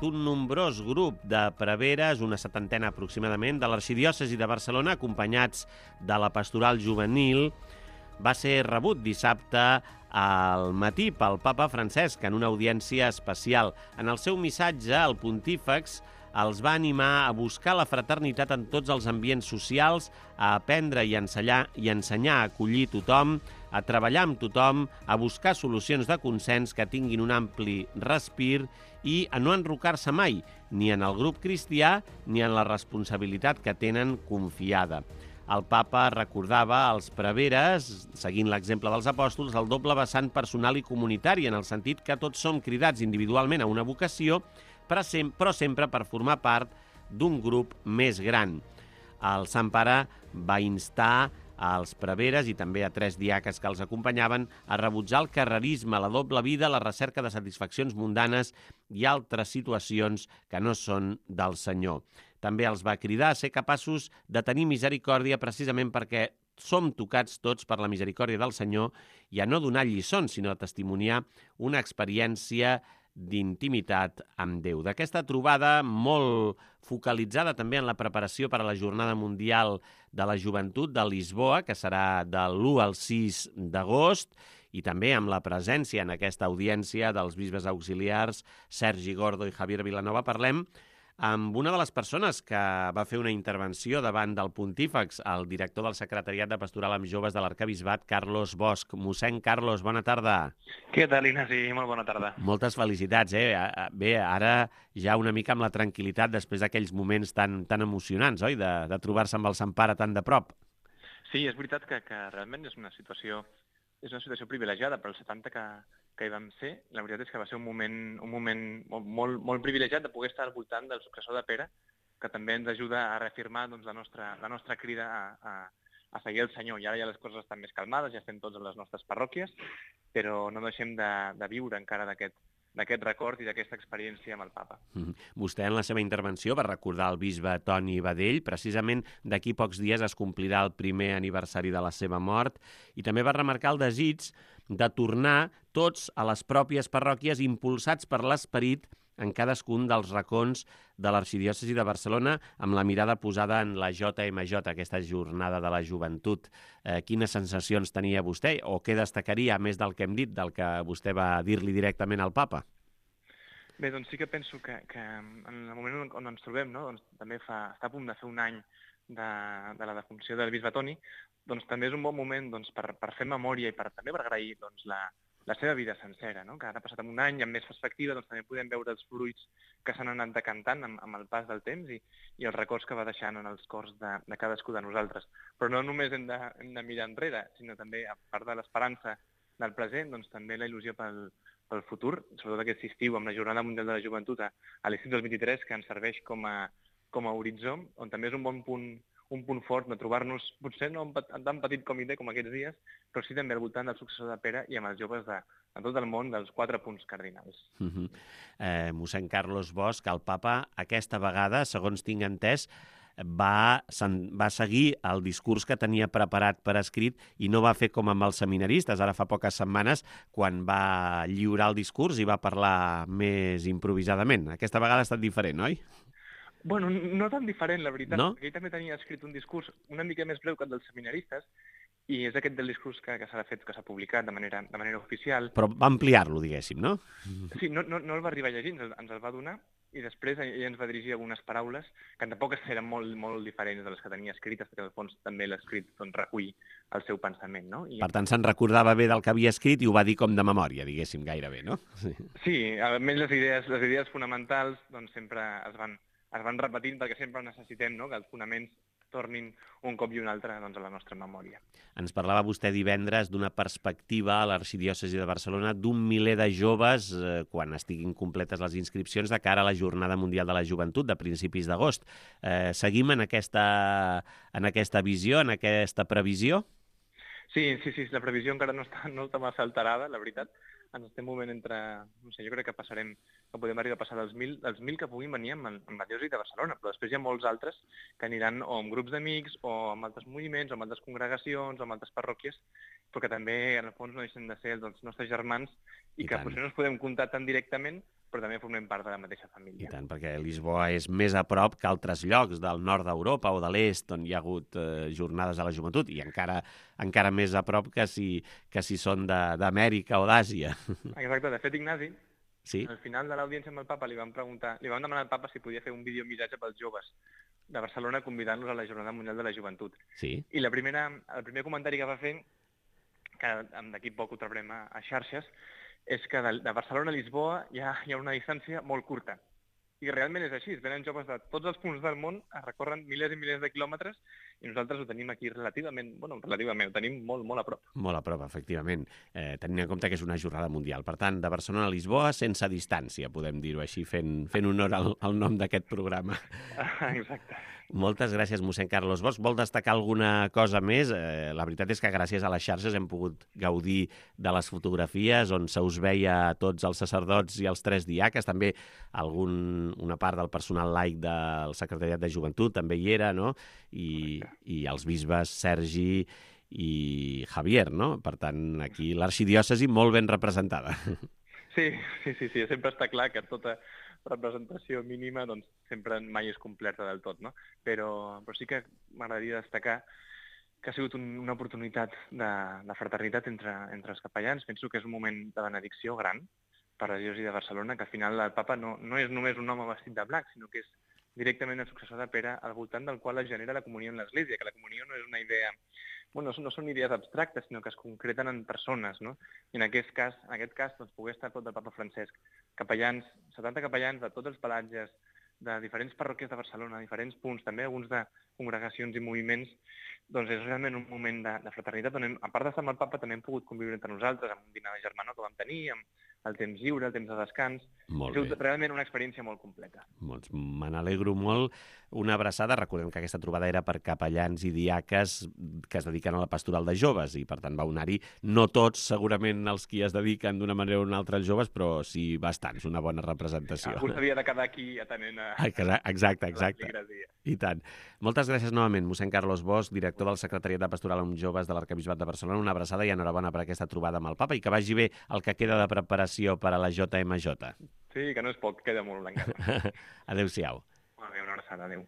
un nombrós grup de preveres, una setantena aproximadament, de l'arxidiòcesi de Barcelona, acompanyats de la pastoral juvenil, va ser rebut dissabte al matí pel papa Francesc en una audiència especial. En el seu missatge, el pontífex els va animar a buscar la fraternitat en tots els ambients socials, a aprendre i ensenyar a acollir tothom, a treballar amb tothom, a buscar solucions de consens que tinguin un ampli respir i a no enrocar-se mai, ni en el grup cristià ni en la responsabilitat que tenen confiada. El papa recordava als preveres, seguint l'exemple dels apòstols, el doble vessant personal i comunitari, en el sentit que tots som cridats individualment a una vocació, però sempre per formar part d'un grup més gran. El Sant Pare va instar als preveres i també a 3 diaques que els acompanyaven a rebutjar el carrerisme, la doble vida, la recerca de satisfaccions mundanes i altres situacions que no són del Senyor. També els va cridar a ser capaços de tenir misericòrdia precisament perquè som tocats tots per la misericòrdia del Senyor i a no donar lliçons, sinó a testimoniar una experiència d'intimitat amb Déu. D'aquesta trobada molt focalitzada també en la preparació per a la Jornada Mundial de la Joventut de Lisboa, que serà de l'1 al 6 d'agost, i també amb la presència en aquesta audiència dels bisbes auxiliars Sergi Gordo i Javier Vilanova, parlem amb una de les persones que va fer una intervenció davant del pontífex, el director del Secretariat de Pastoral amb Joves de l'Arquebisbat, Carlos Bosch. Mossèn Carlos, bona tarda. Què tal, Ignasi? Molt bona tarda. Moltes felicitats, eh? Bé, ara ja una mica amb la tranquil·litat després d'aquells moments tan emocionants, oi?, de trobar-se amb el Sant Pare tan de prop. Sí, és veritat que realment és una situació privilegiada per als 70 que hi vam ser. La veritat és que va ser un moment molt privilegiat de poder estar al voltant del successor de Pere, que també ens ajuda a reafirmar doncs, la nostra crida a seguir el Senyor. I ara ja les coses estan més calmades, ja estem tots a les nostres parròquies, però no deixem de viure encara d'aquest record i d'aquesta experiència amb el papa. Vostè en la seva intervenció va recordar el bisbe Toni Badell. Precisament d'aquí pocs dies es complirà el primer aniversari de la seva mort i també va remarcar el desig de tornar tots a les pròpies parròquies impulsats per l'esperit en cadascun dels racons de l'arxidiòcesi de Barcelona, amb la mirada posada en la JMJ, aquesta jornada de la joventut. Quines sensacions tenia vostè o què destacaria, més del que hem dit, del que vostè va dir-li directament al papa? Bé, doncs sí que penso que en el moment on ens trobem, no? Doncs també està a punt de fer un any de la defunció del bisbe Toni, doncs també és un bon moment doncs, per fer memòria i també per agrair doncs, la seva vida sencera, no? Que ara passat un any i amb més perspectiva doncs, també podem veure els fruits que s'han anat decantant amb el pas del temps i els records que va deixant en els cors de cadascú de nosaltres. Però no només hem de mirar enrere, sinó també, a part de l'esperança del present, doncs també la il·lusió pel futur, sobretot aquest estiu amb la Jornada Mundial de la Joventut a l'estiu del 23, que ens serveix com a horitzó, on també és un bon punt fort de trobar-nos, potser no en tan petit comitè com aquests dies, però sí també al voltant del successor de Pere i amb els joves de tot el món dels 4 punts cardinals. Mossèn Carlos Bosch, el papa, aquesta vegada, segons tinc entès, va seguir el discurs que tenia preparat per escrit i no va fer com amb els seminaristes, ara fa poques setmanes, quan va lliurar el discurs i va parlar més improvisadament. Aquesta vegada ha estat diferent, oi? Bueno, no tan diferent, la veritat. No? Ell també tenia escrit un discurs una mica més breu que el dels seminaristes i és aquest del discurs que s'ha publicat de manera oficial. Però va ampliar-lo, diguéssim, no? Sí, no el va arribar a llegir, ens el va donar i després ell ens va dirigir algunes paraules que tampoc eren molt diferents de les que tenia escrites, perquè al fons també l'escrit doncs, recull el seu pensament, no? Per tant, se'n recordava bé del que havia escrit i ho va dir com de memòria, diguéssim, gairebé, no? Sí, almenys les idees fonamentals doncs, sempre es van repetint perquè sempre necessitem, no?, que els fonaments tornin un cop i un altre doncs, a la nostra memòria. Ens parlava vostè divendres d'una perspectiva a l'arxidiòcesi de Barcelona d'un miler de joves quan estiguin completes les inscripcions de cara a la Jornada Mundial de la Joventut de principis d'agost. Seguim en aquesta visió, en aquesta previsió? Sí, la previsió encara no està massa alterada, la veritat. Ens estem movent entre, no sé, jo crec que podem arribar a passar dels 1.000 que puguin venir amb la diòcesi de Barcelona, però després hi ha molts altres que aniran o amb grups d'amics o amb altres moviments o amb altres congregacions o amb altres parròquies, però que també en el fons no deixen de ser els nostres germans i que potser no els podem comptar tan directament, però també formem part de la mateixa I família. tant, perquè Lisboa és més a prop que altres llocs del nord d'Europa o de l'est on hi ha hagut jornades de la joventut, i encara més a prop que si són d'Amèrica o d'Àsia. Exacte, de fet, Ignasi, Sí? al final de l'audiència amb el papa li vam demanar al papa si podia fer un videomissatge pels joves de Barcelona convidant-los a la Jornada Mundial de la Joventut. Sí? I el primer comentari que va fer, que d'aquí poc ho traurem a xarxes, és que de Barcelona a Lisboa hi ha una distància molt curta. I realment és així, venen joves de tots els punts del món, recorren milers i milers de quilòmetres, i nosaltres ho tenim aquí relativament, ho tenim molt, molt a prop. Molt a prop, efectivament, tenint en compte que és una jornada mundial. Per tant, de Barcelona a Lisboa, sense distància, podem dir-ho així, fent honor al nom d'aquest programa. Exacte. Moltes gràcies, mossèn Carlos Bosch. Vol destacar alguna cosa més? La veritat és que gràcies a les xarxes hem pogut gaudir de les fotografies on se us veia a tots els sacerdots i els 3 diaques, també una part del personal laic del Secretariat de Joventut també hi era, no? I els bisbes Sergi i Javier, no? Per tant, aquí l'arxidiòcesi molt ben representada. Sí, sempre està clar que tota representació mínima doncs, sempre mai és completa del tot, no? Però sí que m'agradaria destacar que ha sigut una oportunitat de fraternitat entre els capellans. Penso que és un moment de benedicció gran per la diòcesi de Barcelona, que al final el papa no és només un home vestit de blanc, sinó que és directament el successor de Pere, al voltant del qual es genera la comunió en l'Església, que la comunió no és una idea... no són idees abstractes, sinó que es concreten en persones, no? I en aquest cas doncs, poder estar tot del papa Francesc, capellans, 70 capellans de tots els pelatges, de diferents parròquies de Barcelona, diferents punts, també alguns de congregacions i moviments, doncs és realment un moment de fraternitat on, a part d'estar amb el papa, també hem pogut conviure entre nosaltres, amb un dinar de germanor que vam tenir, amb el temps lliure, el temps de descans. Molt ha sigut bé. realment una experiència molt completa. Doncs me n'alegro molt. Una abraçada. Recordem que aquesta trobada era per capellans i diaques que es dediquen a la pastoral de joves i, per tant, va anar-hi no tots, segurament, els qui es dediquen d'una manera o una altra als joves, però sí bastants, una bona representació. Algú s'havia de quedar aquí atenent a... Exacte. l'església. I tant. Moltes gràcies novament, mossèn Carlos Bosch, director del Secretariat de Pastoral amb Joves de l'Arquebisbat de Barcelona. Una abraçada i enhorabona per aquesta trobada amb el papa i que vagi bé el que queda de preparació per a la JMJ. Sí, que no és poc, queda molt encara. Adéu-siau. Molt bé, una abraçada, adéu.